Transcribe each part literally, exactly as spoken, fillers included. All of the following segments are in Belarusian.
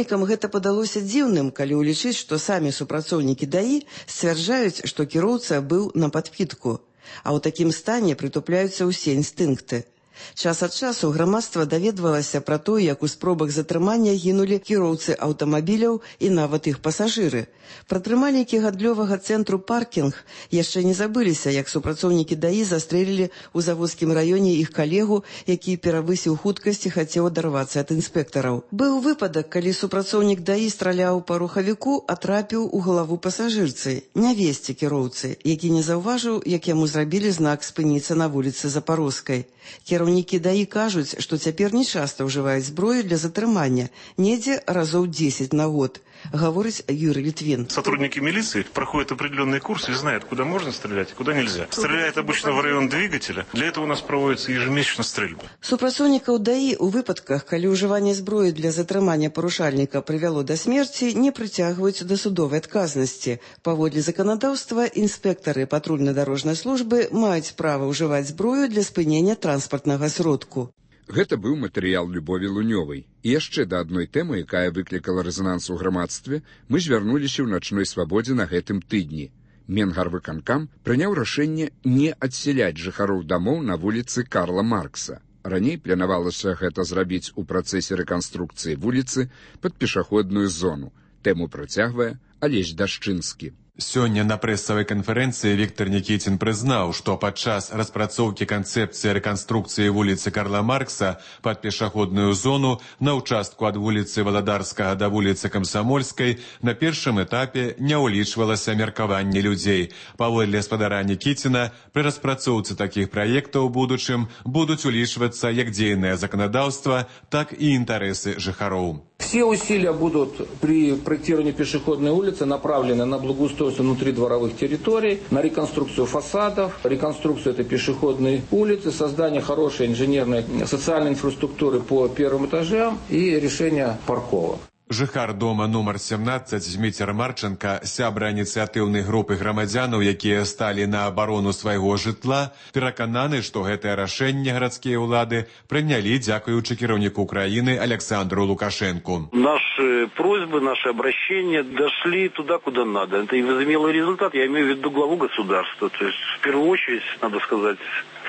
Прыватнікам гэта падалося дзіўным, калі ўлічыць, што самі супрацоўнікі даі сцвярджаюць, што кіроўца быў на падпітку, а ў такім стане прытупляюцца ўсе інстынкты. Час ад часу грамадства даведвалася пра тое, як у спробах затрымання гінулі кіроўцы аўтамабіляў і нават іх пасажыры. Прадтрымальнікі гандлёвага цэнтру «Паркінг» яшчэ не забыліся, як супрацоўнікі даі застрэлілі ў заводскім раёне іх калегу, які перавысіў хуткасць і хацеў адарвацца ад інспектараў. Быў выпадак, калі супрацоўнік даі страляў па рухавіку, а трапіў у галаву пасажырцы, нявесце кіроўцы, які не заўважыў, як яму зрабілі знак спыніцца на вуліцы Запарожскай. Кіраўнікі даі кажуць, што цяпер не часта ўжываюць зброю для затрымання, недзе разоў дзесяць на год, говорит Юрий Литвин. Сотрудники милиции проходят определенные курсы и знают, куда можно стрелять, куда нельзя. Стреляют обычно в район двигателя. Для этого у нас проводится ежемесячно стрельба. Супрацоўнікаў даі ў выпадках, калі ўжыванне зброі для затрымання парушальніка прывяло да смерці, не прыцягваюць да судовай адказнасці. Паводле заканадаўства, інспектары патрульна-дарожнай службы маюць права ўжываць зброю для спынення транспартнага сродку. Гэта быў матэрыял Любові Лунёвай. І яшчэ да адной тэмы, якая выклікала рэзананс у грамадстве, мы звярнуліся ў начной свабодзе на гэтым тыдні. Менгарвыканкам прыняў рашэнне не адсяляць жыхароў дамоў на вуліцы Карла Маркса. Раней планавалася гэта зрабіць у працэсе рэканструкцыі вуліцы пад пешаходную зону. Тэму працягвае Алесь Дашчынскі. Сёння на прэсавай канферэнцыі Віктор Нікіцін прызнаў, што падчас распрацоўкі канцэпцыі рэканструкцыі вуліцы Карла Маркса пад пешаходную зону на ўчастку ад вуліцы Валадарскага да вуліцы Камсамольскай на першым этапе не ўлічвалася меркаванне людзей. Паводле спадара Нікіціна, пры распрацоўцы такіх праектаў у будучым будуць улічвацца як дзейнае заканадаўства, так і інтарэсы жыхароў. Все усилия будут при проектировании пешеходной улицы направлены на благоустройство внутридворовых территорий, на реконструкцию фасадов, реконструкцию этой пешеходной улицы, создание хорошей инженерной социальной инфраструктуры по первым этажам и решение парковок. Жыхар дома нумар семнадцаць Зміцер Марченка, сябра ініцыятыўнай групы грамадзянаў, якія сталі на абарону свайго жытла, перакананы, што гэтае рашэнне гарадскія ўлады прынялі дзякуючы кіраўніку краіны Александру Лукашенку. Наши просьбы, наши обращения дошли туда, куда надо. Это и возымело результат, я имею в виду главу государства. То есть, в первую очередь, надо сказать,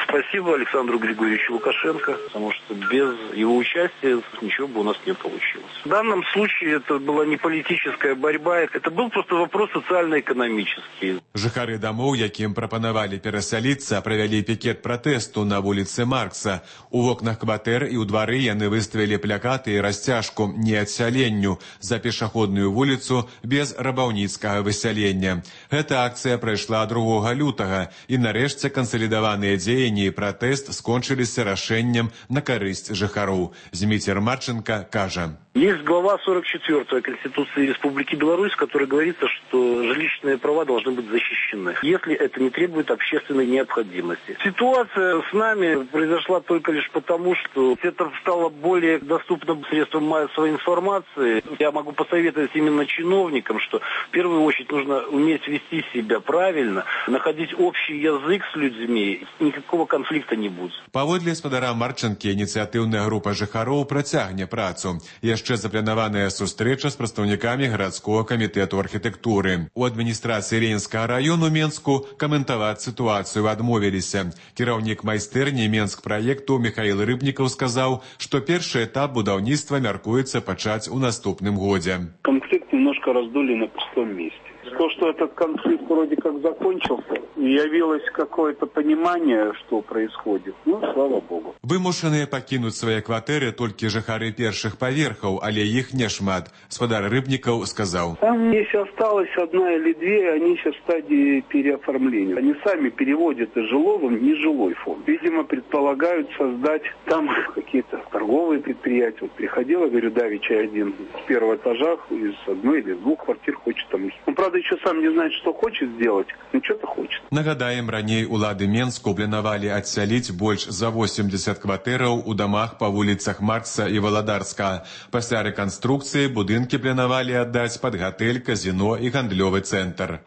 спасибо Александру Григорьевичу Лукашенко, потому что без его участия ничего бы у нас не получилось. В данном случае это была не политическая борьба, это был просто вопрос социально-экономический. Жыхары домов, якім прапанавалі перасяліцца, правялі пікет пратэсту на вуліцы Маркса. У вокнах кватэр і ў двары яны выставілі плакаты і расцяжку «Не адсяленню» за пешаходную вуліцу без рабаўніцкага высялення. Гэта акцыя прайшла другога лютага, і нарэшце кансалідаваныя дзеянні і пратэст скончыліся рашэннем на карысць жыхароў. Зміцер Марченко кажа. Есть глава сорок четвёртая Конституции Республики Беларусь, в которой говорится, что жилищные права должны быть защищены, если это не требует общественной необходимости. Ситуация с нами произошла только лишь потому, что это стало более доступным средством массовой информации. Я могу посоветовать именно чиновникам, что в первую очередь нужно уметь вести себя правильно, находить общий язык с людьми, никакого конфликта не будет. Паводле спадара Марченкі, ініцыятыўная група жыхароў працягне працу. Яшчэ запланаваная сустрэча з прадстаўнікамі гарадскога камітэту архітэктуры. У адміністрацыі Ленінскага району Менску каментаваць сітуацыю адмовіліся. Кіраўнік майстэрні Менск праекту Михаил Рыбнікаў сказаў, што першы этап будаўніцтва мяркуецца пачаць у наступным годзе. Конфликт немножко раздули на пустом месте. То, что этот конфликт вроде как закончился, явилось какое-то понимание, что происходит. Ну, слава богу. Вымушаныя пакінуць свае кватэры толькі жыхары першых паверхаў, але іх нешмат. Спадар Рыбнікаў сказаў. Там, если осталось одна или две, они сейчас в стадии переоформления. Они сами переводят из жилого в нежилой фонд. Видимо, предполагают создать там какие-то торговые предприятия. Вот приходила, говорю, давеча один с первого этажа, из одной или двух квартир хочет там. Он, правда, еще сам не знает, что хочет сделать, но что-то хочет. Нагадаем, раней улады Менску планавалі адсяліць больш за восемьдесят кватэраў у дамах па вуліцах Маркса і Валадарска. Пасля рэканструкцыі будынкі планавалі аддаць пад гатэль, казіно і гандлёвы цэнтр.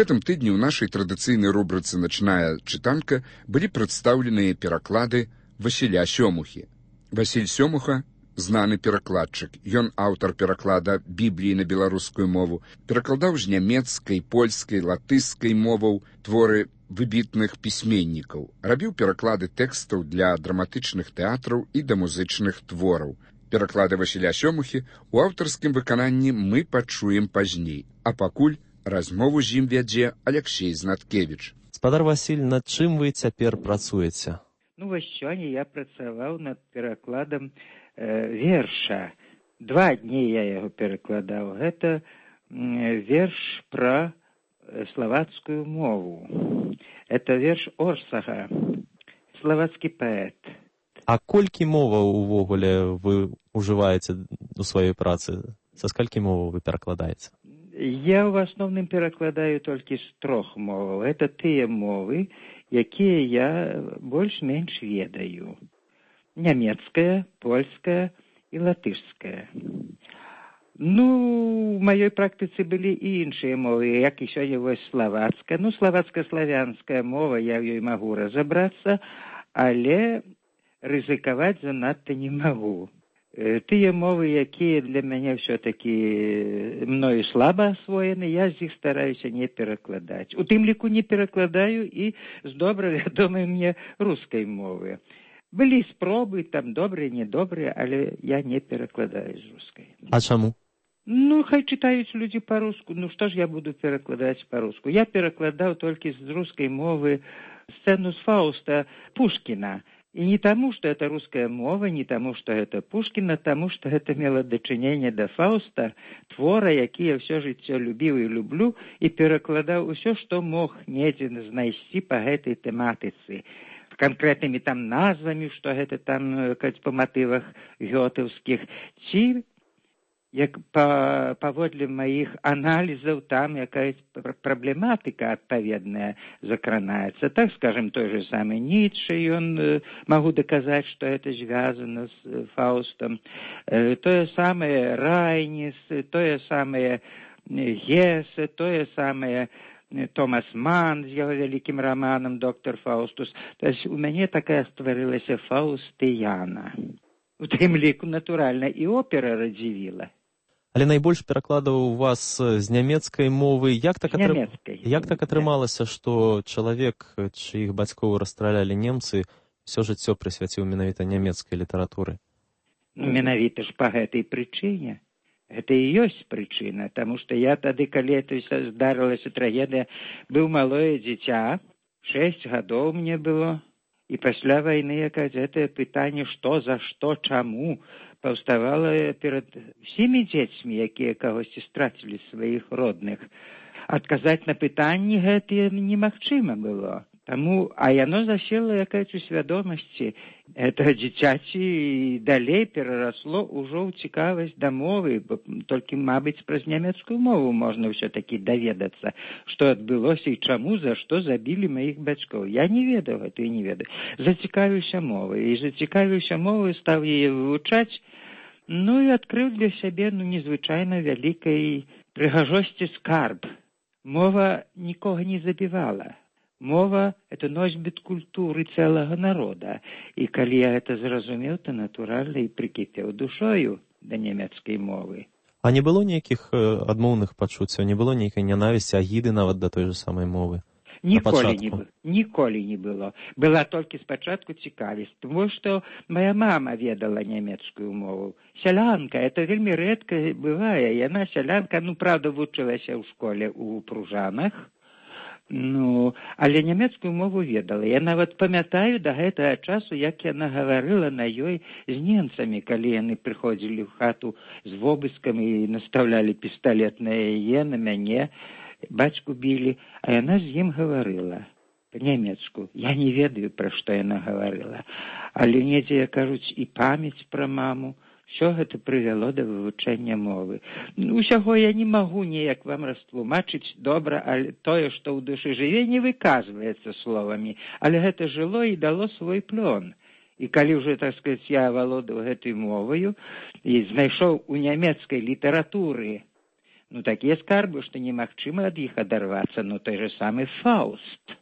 гэтым тыдні ў нашай традыцыйнай рубрыцы «Начная чытанка» былі прадстаўленыя пераклады Васіля Сёмухі. Васіль Сёмуха – знаны перакладчык. Ён аўтар пераклада Бібліі на беларускую мову, перакладаў з нямецкай, польскай, латышскай моваў творы выбітных пісьменнікаў, рабіў пераклады тэкстаў для драматычных тэатраў і да музычных твораў. Пераклады Васіля Сёмухі ў аўтарскім выкананні мы пачуем пазней, а пакуль размову з ім вядзе Аляксей Знаткевіч. Спадар Васіль, над чым вы цяпер працуеце? Ну, вось сёння я працаваў над перакладам э, верша. Два дні я яго перакладаў. Гэта э, верш пра славацкую мову. Это верш Орсага, славацкі паэт. А колькі моваў увогуле вы ўжываеце у сваёй працы? Са скалькі моваў вы перакладаеце? Я ў асноўным перакладаю толькі з трох моваў. Это тыя мовы, якія я больш-менш ведаю. Нямецкая, польская і латышская. Ну, у маёй практыцы былі і іншыя мовы, як і сёння вось славацкая. Ну, славацка-славянская мова, я в ёй магу разабрацца, але рызыкаваць занадта не магу. Тыя мовы, якія для мяне ўсё-такі мною слаба асвоены, я з іх стараюся не перакладаць. У тым ліку не перакладаю і з добра вядомай мне рускай мовы. Былі спробы, там добрыя, недобрыя, але я не перакладаю з рускай. А чаму? Ну, хай чытаюць людзі па-руску. Ну, што ж я буду перакладаць па-руску? Я перакладаў толькі з рускай мовы сцэну з Фауста Пушкіна. И не тому, что это русская мова, не тому, что это Пушкин, а тому, что это мело дачыненне да Фауста, твора, які я ўсё жыццё любіў і люблю, і перакладаў усё, што мог недзе знайсці па гэтай тэматыцы. Канкрэтнымі там назвамі, што гэта там па матывах гётэўскіх, ці як па, паводле маіх аналізаў там якая праблематыка адпаведная закранаецца. Так, скажем, той же самый Ницше, ён э, могу доказаць, што это звязано с э, Фаустом. Э, тое самае Райнис, тое самае Гесе, тое самае Томас Ман з яго вялікім романам «Доктор Фаустус». То есть у мяне такая стварылася Фаустыяна. У тым ліку, натуральна, і опера радзівіла. Але найбольш перакладаў у вас з нямецкай мовы. Як так, атры... Як так атрымалася, што чалавек, чыіх бацькоў расстралялі немцы, ўсё жыццё прысвяціў менавіта нямецкай літаратуры? Ну, менавіта ж па гэтай прычыне. Гэта і ёсць прычына, таму што я тады, калі это здарылася трагедыя, быў малое дзіця, шэсць гадоў мне было, і пасля вайны якаць гэтае пытанне, што, за што, чаму, паўставала перад всімі дзецьмі, якія кагосьці страцілі сваіх родных. Адказаць на пытанні гэтыя немагчыма было. Таму, а яно засела якаясь у свядомасці. Это дзіцяці і далей перарасло ўжо ў цікавасць да мовы, бо толькі, мабыць, праз нямецкую мову можна ўсё-такі даведацца, што адбылося і чаму, за што забілі маіх бацькоў. Я не ведаў гэта і не ведаю. Зацікавіўся мовай, і зацікавіўся мовай, стаў яе вывучаць, ну і адкрыў для сябе ну, незвычайна вялікай прыгажосці скарб. Мова нікога не забівала. Мова – это носьбіт культуры цэлага народа. І калі я гэта зразумеў, то натуральна і прыкіпеў душою да нямецкай мовы. А не было нейкіх адмоўных пачуццяў, не было нейкай нянавісці, агіды нават да той же самай мовы? Ніколі не было. Ніколі не было. Была толькі спачатку цікавасць, тому што моя мама ведала нямецкую мову. Сялянка, это вельмі рэдка бывае. Яна сялянка, ну, правда, вучылася ў школе ў Пружанах, ну, але нямецкую мову ведала. Я нават памятаю да гэтага часу, як яна гаварыла на ёй з немцамі, калі яны прыходзілі ў хату з вобыскам і настаўлялі пісталет на яе, на мяне, бацьку білі, а яна з ім гаварыла па-нямецку. Я не ведаю, пра што яна гаварыла, але недзе, як кажуць, і памяць пра маму. Все гэта прывяло да вывучэння мовы. Усяго я не магу неяк вам растлумачыць добра, але тое, што ў душы жыве, не выказваецца словамі, але гэта жыло і дало свой плён. І калі ўжо, так сказаць, я авалодаў гэтай моваю і знайшоў у нямецкай літаратуры Ну, такія скарбы, што немагчыма ад іх адарвацца, ну, той же самы Фауст,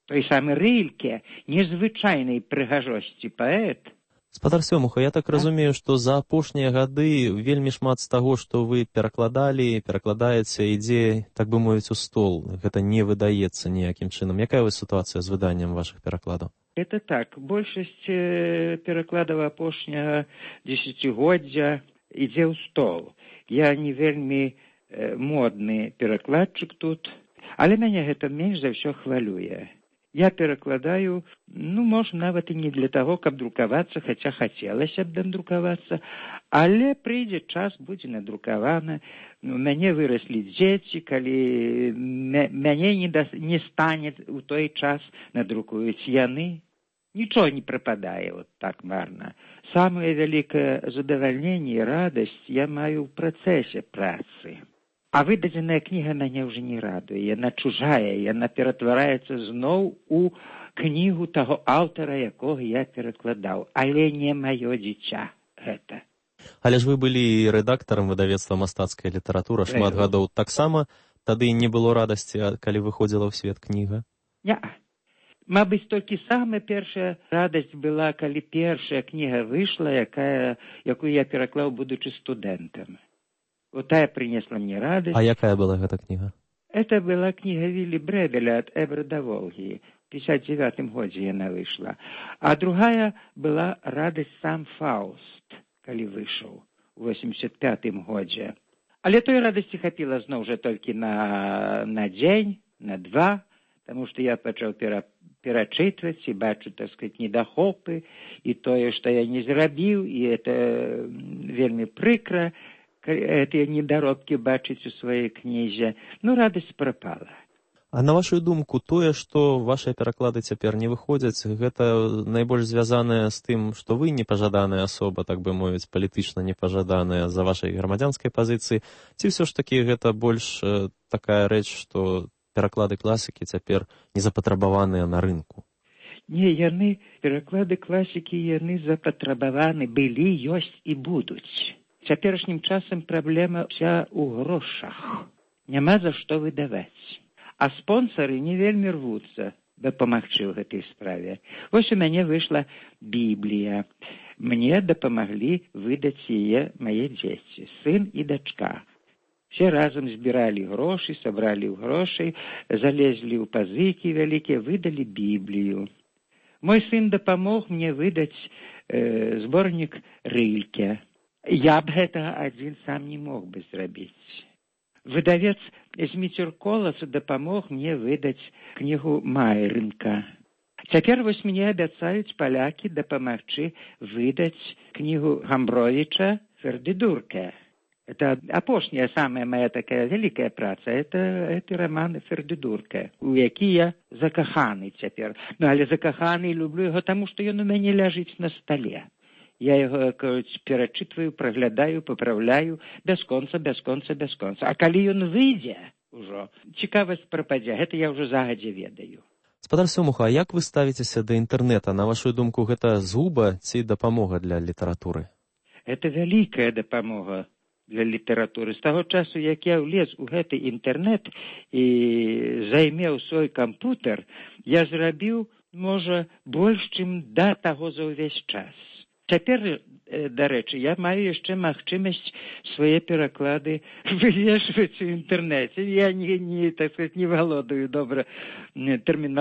той самы Рыльке, незвычайнай прыгажосці паэт. Спадар Сёмуха, я так а? разумею, што за апошнія гады вельмі шмат з таго, што вы перакладалі, перакладаеце, ідзе, так бы мовіць, у стол. Гэта не выдаецца ніякім чынам. Якая вось сітуацыя з выданнем вашых перакладаў? Это так. Большасць перакладаў апошняга дзесяцігоддзя ідзе ў стол. Я не вельмі э, модны перакладчык тут, але мяне гэта менш за ўсё хвалюе. Я перакладаю, ну, можа, нават і не для таго, каб друкавацца, хаця хацелася б надрукавацца, але прыйдзе час, будзе надрукавана. У мяне выраслі дзеці, калі мяне не, да, не стане у той час, надрукуюць яны. Нічого не прападае вот так марна. Самае вялікае задавальненне і радасць я маю ў працэсе працы. А выдадзеная кніга мяне ўжо не радуе. Яна чужая, яна ператвараецца зноў у кнігу таго аўтара, якога я перакладаў. Але не маё дзіця гэта. Але ж вы былі рэдактарам выдавецтва «Мастацкая літаратура» шмат гадоў. Таксама тады не было радасці, калі выходзіла ў свет кніга? Не. Мабыць, толькі самая першая радасць была, калі першая кніга выйшла, якая, якую я пераклаў, будучы студэнтам. Вот тая принесла мне радость. А якая была эта книга? Это была книга Вилли Бребеля «От Эбра до Волги». В пятьдесят девятом году она вышла. А другая была «Радость сам Фауст», коли вышел в восемьдесят пятом году. Але той радости хапила снова уже только на, на день, на два, потому что я начал пера, перачитывать и бачу, так сказать, недохопы, и то, что я не зрабил, и это вельми прикро, гэтыя недаробкі бачыць у сваёй кнізе. Ну, радасць прапала. А на вашу думку, тое, што вашыя пераклады цяпер не выходзяць, гэта найбольш звязанае з тым, што вы непажаданая асоба, так бы мовіць, палітычна непажаданая за вашай грамадзянскай пазіцыі, ці ўсё ж такі гэта больш э, такая рэч, што пераклады класікі цяпер не запатрабаваныя на рынку? Не, яны, пераклады класікі, яны запатрабаваны былі, ёсць і будуць. Цяперашнім часам праблема вся ў грошах. Няма за што выдаваць. А спонсары не вельмі рвуцца дапамагчы ў гэтай справе. Вось у мяне выйшла Біблія. Мне дапамаглі выдаць яе мае дзеці, сын і дачка. Все разам збіралі грошы, сабралі ў грошай, залезлі ў пазыкі вялікія, выдалі Біблію. Мой сын дапамог мне выдаць э, зборнік Рыльке. Я б гэта адзін сам не мог бы зрабіць. Выдавец Зміцюр-Колас дапамог мне выдаць кнігу Майрынка. Цяпер вось мне абяцаюць палякі дапамагчы выдаць кнігу Гамбровіча «Фердидурке». Это апошняя, самая моя такая великая праца. Это, это роман «Фердидурке», у які я закаханы цяпер. Ну, але закаханы люблю яго, таму што ён у мяне ляжыць на стале. Я яго перачытваю, праглядаю, папраўляю, без конца, без конца, без конца. А калі ён выйдзе ўжо, цікавасць прападзе, гэта я ўжо загадзя ведаю. Спадар Сёмуха, а як вы ставіцеся да інтэрнэта? На вашу думку, гэта згуба ці дапамога для літаратуры? Это вялікая дапамога для літаратуры. З таго часу, як я ўлез у гэты інтэрнэт і займеў свой кампутер, я зрабіў, можа, больш, чым да таго за ўвесь час. Цяпер, дарэчы, я маю яшчэ магчымасць свае пераклады вывешваць у інтэрнэце. Я не, не, так сказать, не валодаю добра тэрміналогіяй.